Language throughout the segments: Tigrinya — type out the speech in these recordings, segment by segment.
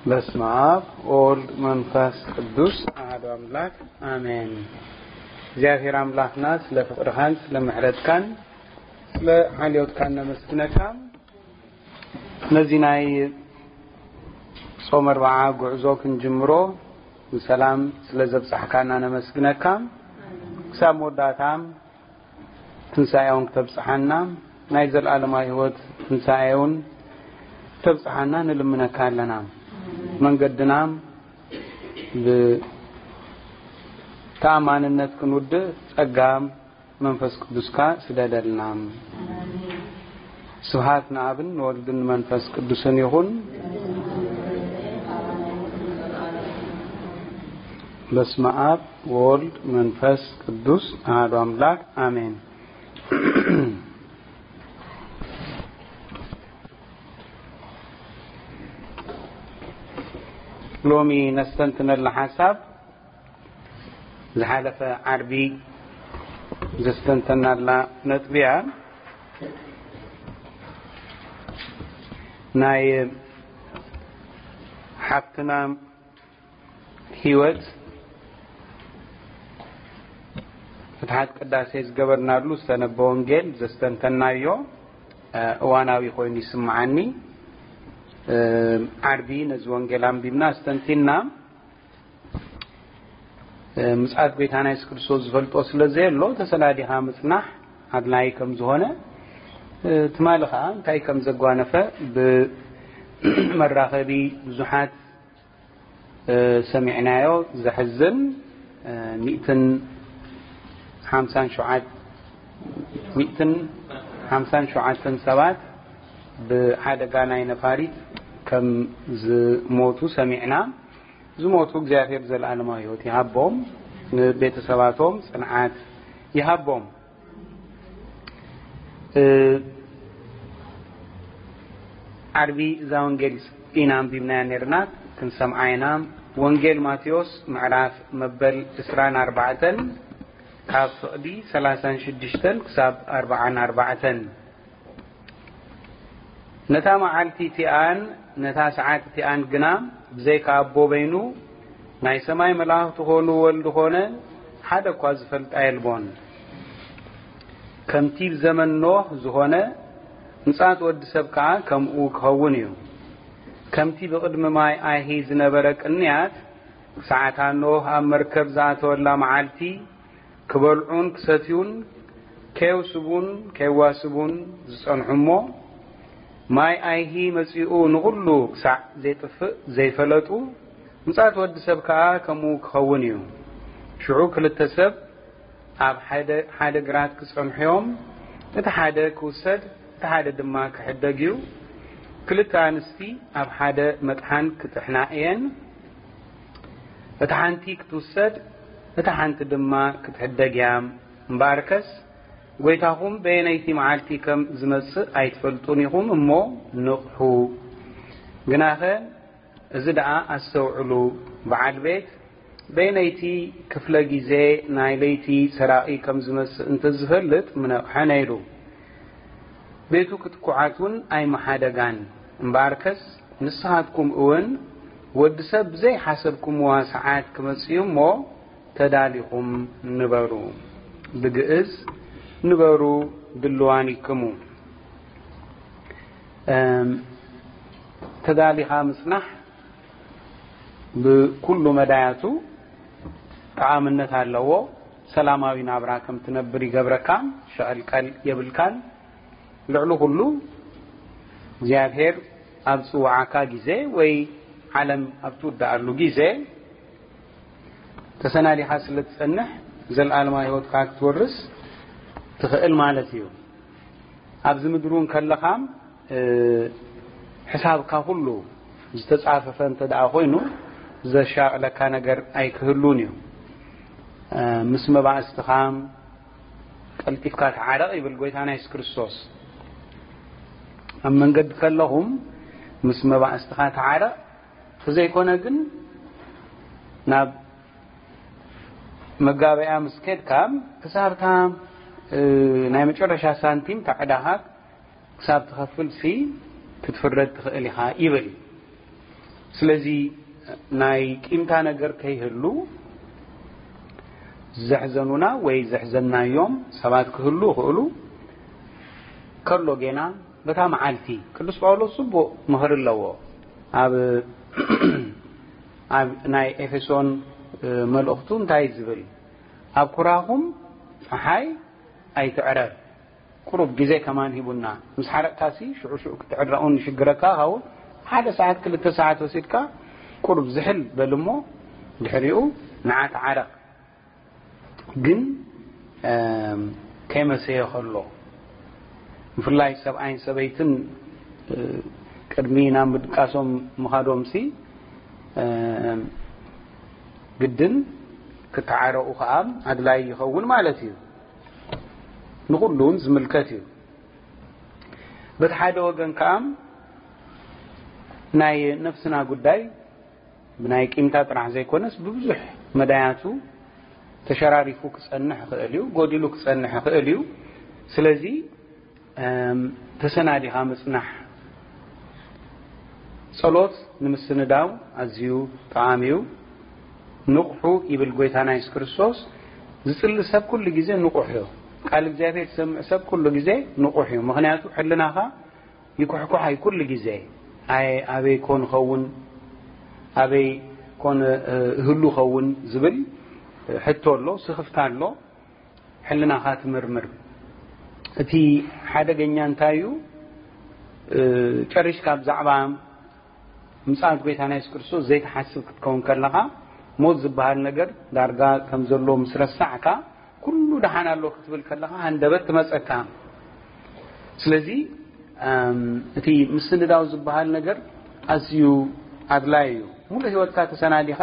በስመ አብ ወወልድ መንፈስ ቅዱስ አሐዱ አምላክ አሜን። እግዚኣብሔር አምላክና ስለ ፍቅርካን ስለ ምሕረትካን ስለ ሓልዮትካን ነመስግነካ። ነዚ ናይ ጾም ኣርብዓ ጉዕዞ ክንጅምሮ ብሰላም ስለ ዘብጻሕካና ነመስግነካ። ክሳብ መወዳእታ ትንሳኤውን ክተብጽሓና፣ ናይ ዘለኣለማዊ ህይወት ትንሳኤውን ክተብጽሓና ንልምነካ ኣለና። መንገድና ብተኣማንነት ክንውድእ ጸጋ መንፈስ ቅዱስካ ስደደልና። ስብሐት ንኣብን ንወልድን ንመንፈስ ቅዱስን ይኹን። በስመ አብ ወወልድ መንፈስ ቅዱስ አሐዱ አምላክ አሜን። ሎሚ ነስተንትነላ ሓሳብ ዝሓለፈ ዓርቢ ዘስተንተናላ ነጥቢ እያ። ናይ ሓፍትና ህይወት ፍትሓት ቅዳሴ ዝገበርናሉ ዝተነበ ወንጌል ዘስተንተናዮ፣ እ፣ እዋናዊ ኮይኑ ይስምዓኒ። እ፣ ዓርቢ ነዚ ወንጌል ኣንቢብና ኣስተንቲና፣ እ፣ ምጽኣት ጎይታና የሱስ ክርስቶስ ዝፈልጦ ስለ ዘየሎ ተሰናዲኻ ምጽናሕ ኣድላዪ ከም ዝኾነ፣ እ፣ ትማሊ ኸኣ እንታይ ከም ዘጓነፈ ብመራኸቢ ብዙሓት እ፣ ሰሚዕናዮ። ዘሕዝን፣ እ፣ ሚእትን ሓምሳን ሸውዓት፣ ሚእትን ሓምሳን ሸውዓተን ሰባት ብሓደጋ ናይ ነፋሪት ከም ዝሞቱ ሰሚዕና። ዝሞቱ እግዚኣብሔር ዘለኣለማዊ ህይወት ይሃቦም፣ ንቤተሰባቶም ጽንዓት ይሃቦም። እ፣ ዓርቢ እዛ ወንጌል ኢና ኣንቢብናያ ነርና፣ ክንሰምዓ ኢና። ወንጌል ማቴዎስ ምዕራፍ መበል ዕስራን ኣርባዕተን ካብ ፍቕዲ ሰላሳን ሽዱሽተን ክሳብ ኣርባዓን ኣርባዕተን። ነታ መዓልቲ እቲኣን ነታ ሰዓት እቲኣን ግና ብዘይካ ኣቦ በይኑ ናይ ሰማይ መላእኽቲ ኾኑ ወልዲ ኾነ ሓደ እኳ ዝፈልጣ የልቦን። ከምቲ ብዘመን ኖህ ዝኾነ፣ ምጽኣት ወዲ ሰብ ከኣ ከምኡ ክኸውን እዩ። ከምቲ ብቕድሚ ማይ ኣይሂ ዝነበረ ቅንያት፣ ሰዓታ ኖህ ኣብ መርከብ ዝኣተወላ መዓልቲ፣ ክበልዑን ክሰትዩን፣ ከየውስቡን ከየዋስቡን ዝጸንሑ እሞ፣ ማይ ኣይሂ መጺኡ ንኹሉ ክሳዕ ዜጥፍእ ዘይፈለጡ፣ ምጽኣት ወዲ ሰብ ከኣ ከምኡ ክኸውን እዩ። ሽዑ ክልተ ሰብ ኣብ ሓደ፣ ሓደ ግራት ክጸንሑ እዮም። እቲ ሓደ ክውሰድ፣ እቲ ሓደ ድማ ክሕደግ እዩ። ክልተ ኣንስቲ ኣብ ሓደ መጥሓን ክጥሕና እየን። እታ ሓንቲ ክትውሰድ፣ እታ ሓንቲ ድማ ክትሕደግ እያ። እምበኣርከስ፣ ጐይታኹም በየነይቲ መዓልቲ ከም ዝመጽእ ኣይትፈልጡን ኢኹም እሞ ንቕሑ። ግናኸ፣ እዚ ደኣ ኣስተውዕሉ፣ በዓል ቤት በየነይቲ ክፍለ ግዜ ናይ ለይቲ ሰራቒ ከም ዝመጽእ እንተ ዝፈልጥ ምነቕሐ ነይሩ። ቤቱ ክትኩዓት እውን ኣይምሓደጋን። እምበኣርከስ ንስኻትኩም እውን ወዲ ሰብ ብዘይሓሰብኩምዋ ሰዓት ክመጽእ እዩ እሞ ተዳሊኹም ንበሩ። ብግእዝ ንበሩ ድልዋኒክሙ። እም፣ ተዳሊኻ ምጽናሕ ብኩሉ መዳያቱ ጠቓምነት ኣለዎ። ሰላማዊ ናብራ ከም ትነብር ይገብረካ፣ ሸቐልቀል የብልካን። ልዕሊ ኩሉ እግዚኣብሔር ኣብ ዝጽውዓካ ግዜ ወይ ዓለም ኣብ ትውድኣሉ ግዜ ተሰናዲኻ ስለ ትጸንሕ ዘለኣለማዊ ህይወትካ ክትወርስ ትኽእል ማለት እዩ። ኣብዚ ምድሪ እውን ከለኻ፣ እ፣ ሕሳብካ ኩሉ ዝተጻፈፈ እንተ ደኣ ኮይኑ ዘሻቕለካ ነገር ኣይክህሉን እዩ። እ፣ ምስ መባእስትኻ ቀልጢፍካ ተዓረቕ ይብል ጎይታና የሱስ ክርስቶስ። ኣብ መንገዲ ከለኹም ምስ መባእስትኻ ተዓረቕ፣ ተዘይኮነ ግን ናብ መጋበያ ምስ ከድካ ክሳብታ፣ እ፣ ናይ መጨረሻ ሳንቲም ታዕዳኻ ክሳብ ትኸፍልሲ ክትፍረድ ትኽእል ኢኻ ይብል። ስለዚ ናይ ቂምታ ነገር ከይህሉ ዘሕዘኑና ወይ ዘሕዘናዮም ሰባት ክህሉ ይኽእሉ። ከሎ ጌና በታ መዓልቲ ቅዱስ ጳውሎስ ጽቡቕ ምኽሪ ኣለዎ። ኣብ ኣብ ናይ ኤፌሶን መልእኽቱ እንታይ ዝብል? ኣብ ኩራኹም ጸሓይ ኣይትዕረር። ቁሩብ ግዜ ከማን ሂቡና። ምስ ሓረቕካሲ ሽዑ ሽዑ ክትዕረቕ እውን ይሽግረካ ይኸውን። ሓደ ሰዓት ክልተ ሰዓት ወሲድካ ቁሩብ ዝሕል በል እሞ ድሕሪኡ ንዓ ተዓረቕ። ግን ከይመሰየ ከሎ ብፍላይ ሰብኣይን ሰበይትን ቅድሚ ናብ ምድቃሶም ምኻዶምሲ ግድን ክተዓረቑ ከዓ ኣድላይ ይኸውን ማለት እዩ። ንኹሉ እውን ዝምልከት እዩ። በቲ ሓደ ወገን ከዓ ናይ ነፍስና ጉዳይ ብናይ ቂምታ ጥራሕ ዘይኮነስ ብብዙሕ መዳያቱ ተሸራሪፉ ክጸንሕ ይኽእል እዩ፣ ጎዲሉ ክጸንሕ ይኽእል እዩ። ስለዚ ተሰናዲኻ ምጽናሕ። ጸሎት ንምስንዳው ኣዝዩ ጠቓሚ እዩ። ንቕሑ ይብል ጎይታና የሱስ ክርስቶስ። ዝጽሊ ሰብ ኩሉ ግዜ ንቑሕ እዩ። ቃል እግዚኣብሔር ዝሰምዕ ሰብ ኩሉ ግዜ ንቑሕ እዩ። ምኽንያቱ ሕልናኻ ይኩሕኩሕ ኣይ ኩሉ ግዜ ኣይ ኣበይ ኮን ኸውን ኣበይ ኮን እህሉ ኸውን ዝብል ሕቶ ኣሎ፣ ስኽፍታ ኣሎ። ሕልናኻ ትምርምር። እቲ ሓደገኛ እንታይ እዩ? ጨሪሽካ ብዛዕባ ምጽኣት ጎይታና የሱስ ክርስቶስ ዘይትሓስብ ክትከውን ከለኻ ሞት ዝበሃል ነገር ዳርጋ ከም ዘሎ ምስ ረሳዕካ ኩሉ ደሓን ኣሎ ክትብል ከለኻ ሃንደበት ትመጸካ። ስለዚ እቲ ምስንዳው ዝበሃል ነገር ኣዝዩ ኣድላይ እዩ። ሙሉ ህይወትካ ተሰናዲኻ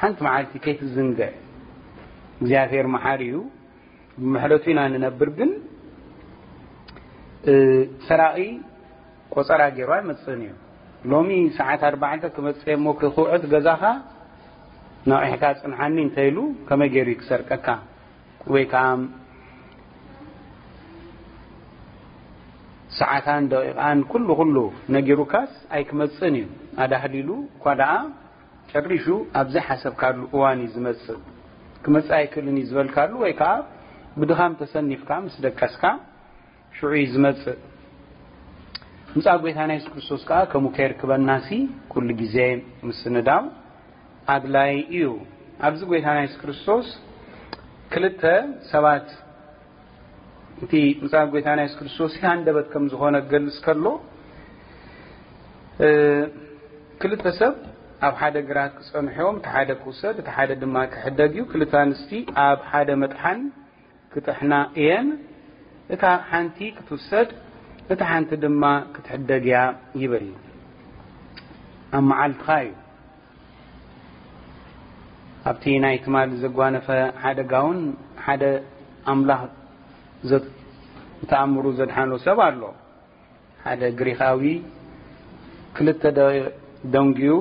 ሓንቲ መዓልቲ ከይትዝንግዕ። እግዚኣብሔር መሓሪ እዩ። ብምሕረቱ ኢና ንነብር። ግን ሰራቒ ቆጸራ ገይሩ ኣይመጽእን እዩ። ሎሚ ሰዓት ኣርባዕተ ክመጽእ እሞ ክውዕት ገዛኻ ነቒሕካ ጽንሓኒ እንተኢሉ ከመይ ገይሩ እዩ ክሰርቀካ? ወይ ከዓ ሰዓታን ደቂቓን ኩሉ ኩሉ ነጊሩካስ ኣይክመጽእን እዩ። ኣዳህሊሉ እኳ ደኣ ጨሪሹ ኣብ ዘይሓሰብካሉ እዋን እዩ ዝመጽእ። ክመጽእ ኣይክእልን እዩ ዝበልካሉ ወይ ከዓ ብድኻም ተሰኒፍካ ምስ ደቀስካ ሽዑ እዩ ዝመጽእ። ምጻእ ጎይታና የሱስ ክርስቶስ ከኣ ከምኡ ከየርክበናሲ ኩሉ ግዜ ምስንዳው ኣድላይ እዩ። ኣብዚ ጎይታና የሱስ ክርስቶስ ክልተ ሰባት እቲ ምጻእ ጎይታና የሱስ ክርስቶስ ሃንደበት ከም ዝኾነ ክገልጽ ከሎ ክልተ ሰብ ኣብ ሓደ ግራት ክጸንሑ እዮም፣ እቲ ሓደ ክውሰድ እቲ ሓደ ድማ ክሕደግ እዩ። ክልተ ኣንስቲ ኣብ ሓደ መጥሓን ክጥሕና እየን፣ እታ ሓንቲ ክትውሰድ እታ ሓንቲ ድማ ክትሕደግ እያ ይብል። ኣብ መዓልትኻ እዩ። ኣብቲ ናይ ትማሊ ዘጓነፈ ሓደጋ እውን ሓደ ኣምላኽ ዘ- ብተኣምሩ ዘድሓኖ ሰብ ኣሎ። ሓደ ግሪኻዊ ክልተ ደቂቕ ደንጉዩ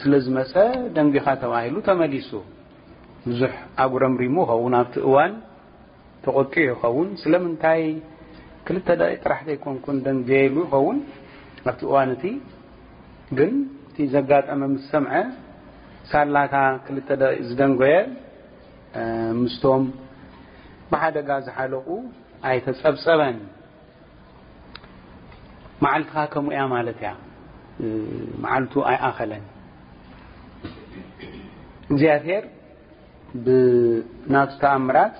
ስለ ዝመጸ ደንጒኻ ተባሂሉ ተመሊሱ። ብዙሕ ኣጉረምሪሙ ይኸውን ኣብቲ እዋን ተቖጢዑ ይኸውን። ስለምንታይ ክልተ ደቂቕ ጥራሕ ዘይኮንኩን ደንጉየ ኢሉ ይኸውን ኣብቲ እዋን እቲ። ግን እቲ ዘጋጠመ ምስ ሰምዐ ሳላታ ክልተ ደቂቕ ዝደንጎየ ምስቶም ብሓደጋ ዝሓለቑ ኣይተጸብጸበን። መዓልትኻ ከምኡ እያ ማለት እያ። መዓልቱ ኣይኣኸለን። እግዚኣብሔር ብናቱ ተኣምራት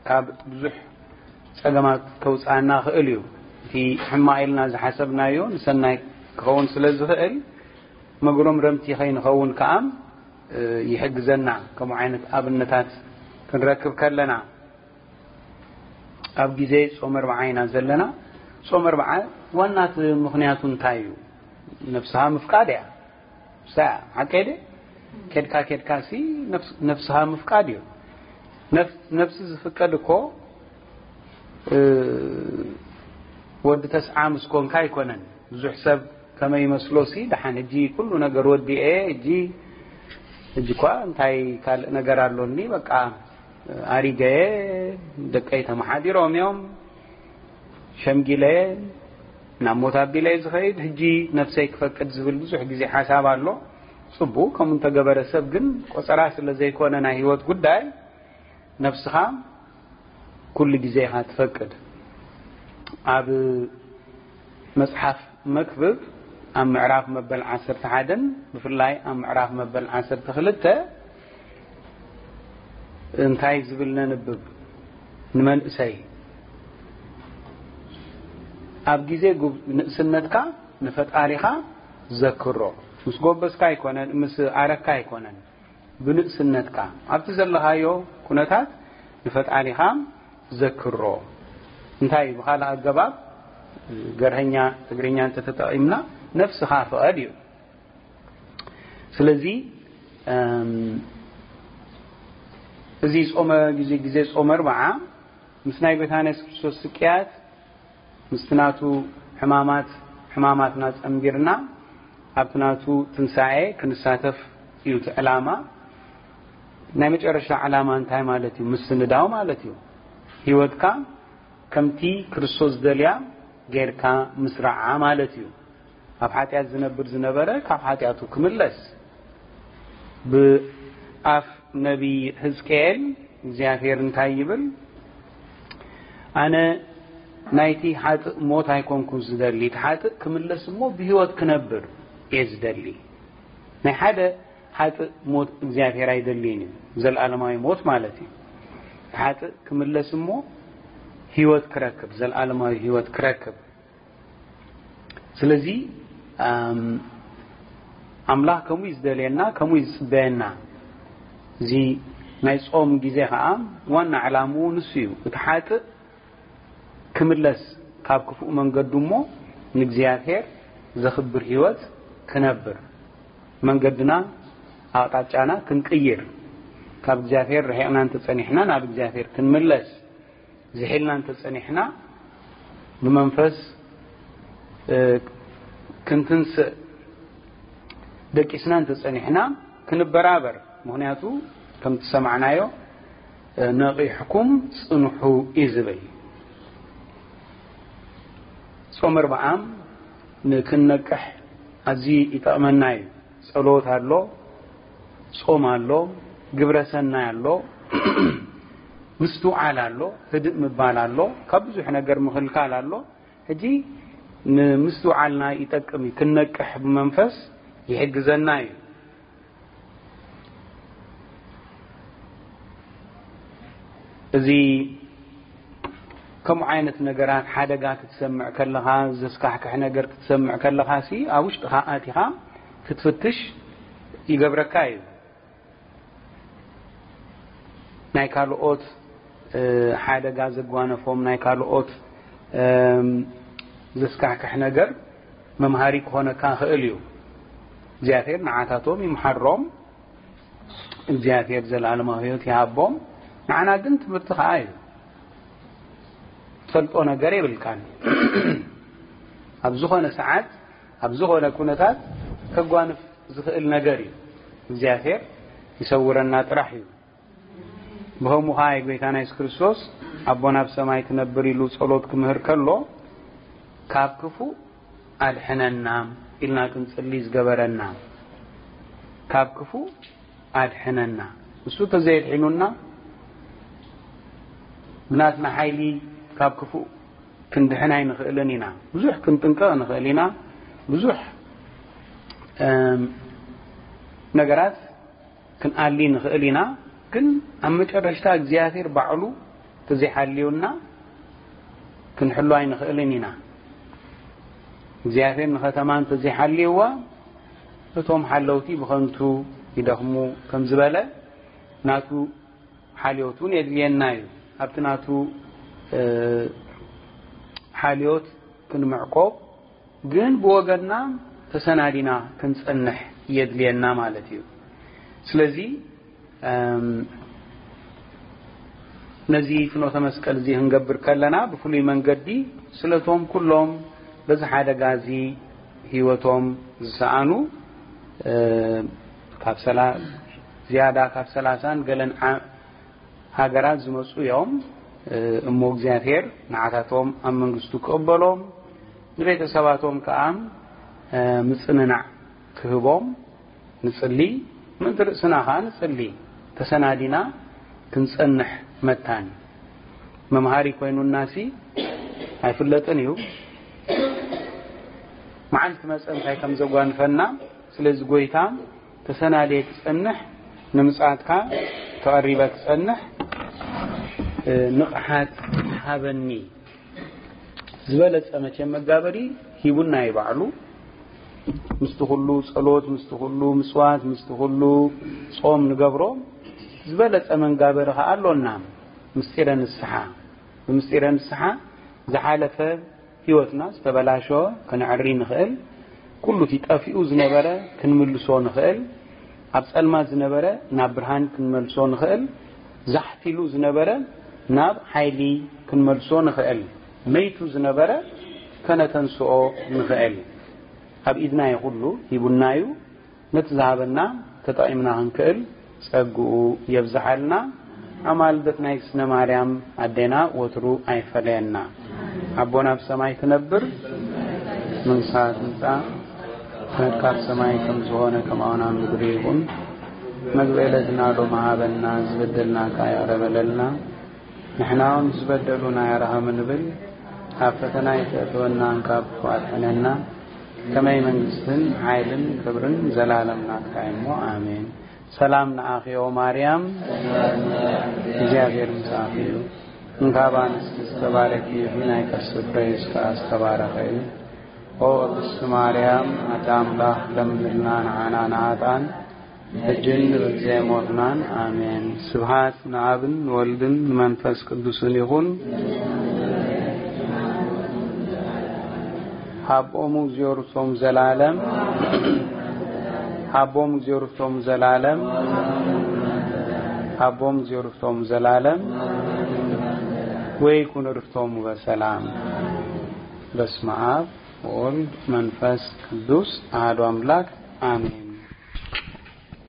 ካብ ብዙሕ ጸገማት ከውፅኣና ክእል እዩ። እቲ ሕማቕ ኢልና ዝሓሰብናዮ ንሰናይ ክኸውን ስለ ዝኽእል መጉረምረምቲ ከይንኸውን ከኣ ይሕግዘና። ከምኡ ዓይነት ኣብነታት ክንረክብ ከለና ኣብ ግዜ ጾመ ኣርብዓ ኢና ዘለና። ጾመ ኣርብዓ ዋናት ምኽንያቱ እንታይ እዩ? ነፍስኻ ምፍቃድ እያ። ሳያ ሓቀይ ደ? ከድካ ከድካ ሲ ነፍስኻ ምፍቃድ እዩ። ነፍሲ ዝፍቀድ እኮ ወዲ ተስዓ ምስ ኮንካ ኣይኮነን። ብዙሕ ሰብ ከመይ ይመስሎ ሲ ደሓን ሕጂ ኩሉ ነገር ወዲኤ ሕጂ ሕጂ እኳ እንታይ ካልእ ነገር ኣሎኒ በቃ ኣሪገየ ደቀይ ተመሓዲሮም እዮም ሸምጊለየ ናብ ሞት ኣቢለ እየ ዝኸይድ፣ ሕጂ ነፍሰይ ክፈቅድ ዝብል ብዙሕ ግዜ ሓሳብ ኣሎ። ጽቡቕ፣ ከምኡ እንተገበረ ሰብ ግን ቆጸራ ስለ ዘይኮነ ናይ ህይወት ጉዳይ፣ ነፍስኻ ኩሉ ግዜ ኢኻ ትፈቅድ። ኣብ መጽሓፍ መክብብ ኣብ ምዕራፍ መበል ዓሰርተ ሓደን ብፍላይ ኣብ ምዕራፍ መበል ዓሰርተ ክልተ እንታይ ዝብል ነንብብ? ንመንእሰይ ኣብ ግዜ ጉብ-፣ ንእስነትካ ንፈጣሪኻ ዘክሮ። ምስ ጎበዝካ ኣይኮነን፣ ምስ ኣረካ ኣይኮነን፣ ብንእስነትካ ኣብቲ ዘለኻዮ ኩነታት ንፈጣሪኻ ዘክሮ። እንታይ እዩ? ብኻልእ ኣገባብ ገርሀኛ ትግርኛ እንተተጠቒምና ነፍስኻ ፍቐድ እዩ። ስለዚ፣ እም፣ እዚ ጾመ ግዜ፣ ግዜ ጾመ ኣርብዓ ምስ ናይ ጎይታና የሱስ ክርስቶስ ስቅያት፣ ምስቲ ናቱ ሕማማት፣ ሕማማትና ጸንቢርና ኣብቲ ናቱ ትንሳኤ ክንሳተፍ እዩ እቲ ዕላማ። ናይ መጨረሻ ዕላማ እንታይ ማለት እዩ? ምስንዳው ማለት እዩ። ህይወትካ ከምቲ ክርስቶስ ዝደልያ ጌርካ ምስራዓ ማለት እዩ። ኣብ ሓጢኣት ዝነብር ዝነበረ ካብ ሓጢኣቱ ክምለስ። ብኣፍ ነቢይ ህዝቅኤል እግዚኣብሔር እንታይ ይብል? "ኣነ ናይቲ ሓጥእ ሞት ኣይኮንኩን ዝደሊ፣ እቲ ሓጥእ ክምለስ እሞ ብህይወት ክነብር እየ ዝደሊ።" ናይ ሓደ ሓጥእ ሞት እግዚኣብሔር ኣይደልይን እዩ። ዘልኣለማዊ ሞት ማለት እዩ። እቲ ሓጥእ ክምለስ እሞ ህይወት ክረክብ፣ ዘልኣለማዊ ህይወት ክረክብ። ስለዚ፣ ኣም፣ ኣምላኽ ከምኡ እዩ ዝደልየና፣ ከምኡ እዩ ዝጽበየና። እዚ ናይ ጾም ግዜ ኸኣ ዋና ዕላምኡ ንሱ እዩ። እቲ ሓጥእ ክምለስ ካብ ክፉእ መንገዱ እሞ ንእግዚኣብሔር ዘኽብር ህይወት ክነብር፣ መንገድና ኣቕጣጫና ክንቅይር፣ ካብ እግዚኣብሔር ርሒቕና እንተጸኒሕና ናብ እግዚኣብሔር ክንምለስ፣ ዝሒልና እንተጸኒሕና ብመንፈስ፣ እ፣ ክንትንስእ፣ ደቂስና እንተጸኒሕና ክንበራበር። ምኽንያቱ ከምቲ ሰማዕናዮ፣ እ፣ "ነቒሕኩም ጽንሑ" እዩ ዝብል። ጾም ኣርብዓ ንክንነቅሕ ኣዝዩ ይጠቕመና እዩ። ጸሎት ኣሎ፣ ጾም ኣሎ፣ ግብረ ሰናይ ኣሎ፣ ምስትውዓል ኣሎ፣ ህድእ ምባል ኣሎ፣ ካብ ብዙሕ ነገር ምኽልካል ኣሎ። ሕጂ ንምስትውዓልና ይጠቅም እዩ፣ ክንነቅሕ ብመንፈስ ይሕግዘና እዩ። እዚ ከምኡ ዓይነት ነገራት ሓደጋ ክትሰምዕ ከለኻ፣ ዘስካሕክሕ ነገር ክትሰምዕ ከለኻ ሲ ኣብ ውሽጥኻ ኣቲኻ ክትፍትሽ ይገብረካ እዩ። ናይ ካልኦት፣ እ፣ ሓደጋ ዘጓነፎም፣ ናይ ካልኦት፣ እም፣ ዘስካሕክሕ ነገር መምሃሪ ክኾነካ ይኽእል እዩ። እግዚኣብሔር ንዓታቶም ይምሓሮም፣ እግዚኣብሔር ዘለኣለማዊ ህይወት ይሃቦም። ንዓና ግን ትምህርቲ ኸዓ እዩ። ትፈልጦ ነገር የብልካን። ኣብ ዝኾነ ሰዓት፣ ኣብ ዝኾነ ኩነታት ከጓንፍ ዝኽእል ነገር እዩ። እግዚኣብሔር ይሰውረና ጥራሕ እዩ። ብኸምኡ ኸዓ ጎይታና የሱስ ክርስቶስ ኣቦና ኣብ ሰማይ ትነብር ኢሉ ጸሎት ክምህር ከሎ፣ "ካብ ክፉእ ኣድሕነና" ኢልና ክንጽሊ ዝገበረና። "ካብ ክፉእ ኣድሕነና።" እሱ ተዘየድሒኑና፣ ብናትና ሓይሊ ካብ ክፉእ ክንድሕን ኣይንኽእልን ኢና። ብዙሕ ክንጥንቀቕ ንኽእል ኢና። ብዙሕ፣ እም፣ ነገራት ክንኣሊ ንኽእል ኢና። ግን ኣብ መጨረሽታ እግዚኣብሔር ባዕሉ ተዘይሓልዩና ክንሕሉ ኣይንኽእልን ኢና። እግዚኣብሔር ንኸተማ እንተዘይሓልይዋ፣ እቶም ሓለውቲ ብኸንቱ ይደኽሙ ከም ዝበለ፣ ናቱ ሓልዮት እውን የድልየና እዩ። ኣብቲ ናቱ፣ እ፣ ሓልዮት ክንምዕቆብ ግን ብወገንና ተሰናዲና ክንጸንሕ የድልየና ማለት እዩ። ስለዚ፣ እም፣ ነዚ ፍኖተ መስቀል እዚ ክንገብር ከለና ብፍሉይ መንገዲ ስለቶም ኩሎም በዚ ሓደጋ እዚ ህይወቶም ዝሰኣኑ፣ እ፣ ካብ ሰላ-፣ ዝያዳ ካብ ሰላሳን ገለን ዓ-፣ ሃገራት ዝመጹ እዮም። እ፣ እሞ እግዚኣብሔር ንዓታቶም ኣብ መንግስቱ ክቕበሎም፣ ንቤተሰባቶም ከኣ ምጽንናዕ ክህቦም ንጽሊ። ምእንቲ ርእስና ከኣ ንጽሊ። ተሰናዲና ክንጸንሕ መታን። መምሃሪ ኮይኑናሲ ኣይፍለጥን እዩ። መዓልቲ መጸ እንታይ ከም ዘጓንፈና። ስለዚ ጎይታ ተሰናድየ ክጸንሕ፣ ንምጽኣትካ ተቐሪበ ክጸንሕ ንቕሓት ሃበኒ። ዝበለጸ መቸም መጋበሪ ሂቡና እዩ ባዕሉ። ምስቲ ኩሉ ጸሎት፣ ምስቲ ኩሉ ምጽዋት፣ ምስቲ ኩሉ ጾም ንገብሮ ዝበለጸ መንጋበሪ ከኣ ኣሎና። ምስጢረ ንስሓ። ብምስጢረ ንስሓ ዝሓለፈ ህይወትና ዝተበላሸወ ክንዕሪ ንኽእል። ኩሉ እቲ ጠፊኡ ዝነበረ ክንምልሶ ንኽእል። ኣብ ጸልማት ዝነበረ ናብ ብርሃን ክንመልሶ ንኽእል። ዛሕቲሉ ዝነበረ ናብ ሓይሊ ክንመልሶ ንኽእል። መይቱ ዝነበረ ከነተንስኦ ንኽእል። ኣብ ኢድና እዩ ኩሉ ሂቡና እዩ። ነቲ ዝሃበና ተጠቒምና ክንክእል ጸግኡ የብዝሓልና። ኣማልደት ናይ ስነ ማርያም ኣዴና ወትሩ ኣይፈለየና። ኣቦና ኣብ ሰማይ ትነብር፣ መንግስታ ትምጻእ፣ ፈቃድካ ኣብ ሰማይ ከም ዝኾነ ከምኡ ኣብ ምድሪ ይኹን። መግቢ ዕለትና ሎሚ ሃበና፣ ዝበደልናካ ይቕረ በለልና፣ ንሕና እውን ዝበደሉና ይርሃሙ ንብል፣ ኣብ ፈተና ኣይተእትወና፣ ካብ ክፉእ ኣድሕነና። ከመይ መንግስትን ሓይልን ክብርን ዘላለም ናትካ እዩ እሞ፣ ኣሜን። ሰላም ንዓኺ ኦ ማርያም፣ እግዚኣብሔር ምሳኺ እዩ። እንካብ ኣንስቲ ዝተባረኪ ኢኺ፣ ናይ ከርስኺ ፍረ ኢየሱስ ከኣ ዝተባረኸ እዩ። ኦ ቅድስቲ ማርያም ኣደ ኣምላኽ፣ ለምንልና ንዓና ንኃጥኣን፣ ሕጅን ንብግዜ ሞትናን። ኣሜን። ስብሐት ንኣብን ንወልድን ንመንፈስ ቅዱስን ይኹን። ሃቦሙ እግዚኣብሔር ርስቶም ዘላለም፣ ሃቦሙ እግዚኣብሔር ርስቶም ዘላለም፣ ሃቦሙ እግዚኣብሔር ርስቶም ዘላለም። ወይኩን ርስቶሙ በሰላም። በስመ አብ ወወልድ መንፈስ ቅዱስ አሐዱ አምላክ አሜን።